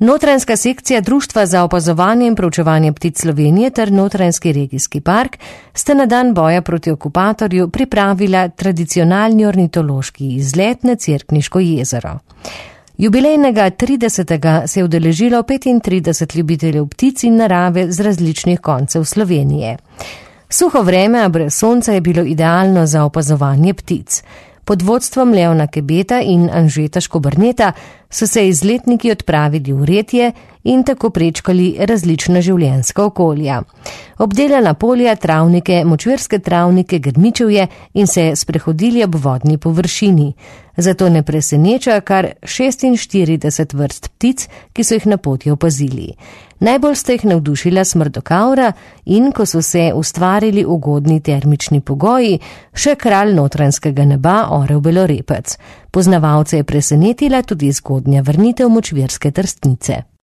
Notranjska sekcija Društva za opazovanje in proučevanje ptic Slovenije ter Notranjski regijski park sta na dan boja proti okupatorju pripravila tradicionalni ornitološki izlet na Cerkniško jezero. Jubilejnega 30. se je udeležilo 35 ljubiteljev ptic in narave z različnih koncev Slovenije. Suho vreme, a brez sonca je bilo idealno za opazovanje ptic. Pod vodstvom Leona Kebeta in Anžeta Škobrneta so se izletniki odpravili v Retje in tako prečkali različna življenjska okolja. Obdelana polja, travnike, močvirske travnike, grmičevje in se sprehodili ob vodni površini. Zato ne preseneča kar 46 vrst ptic, ki so jih na poti opazili. Najbolj sta jih navdušila smrdokavra in, ko so se ustvarili ugodni termični pogoji, še kralj notranjskega neba orel belorepec. Poznavalce je presenetila tudi zgodnja vrnitev močvirske trstnice.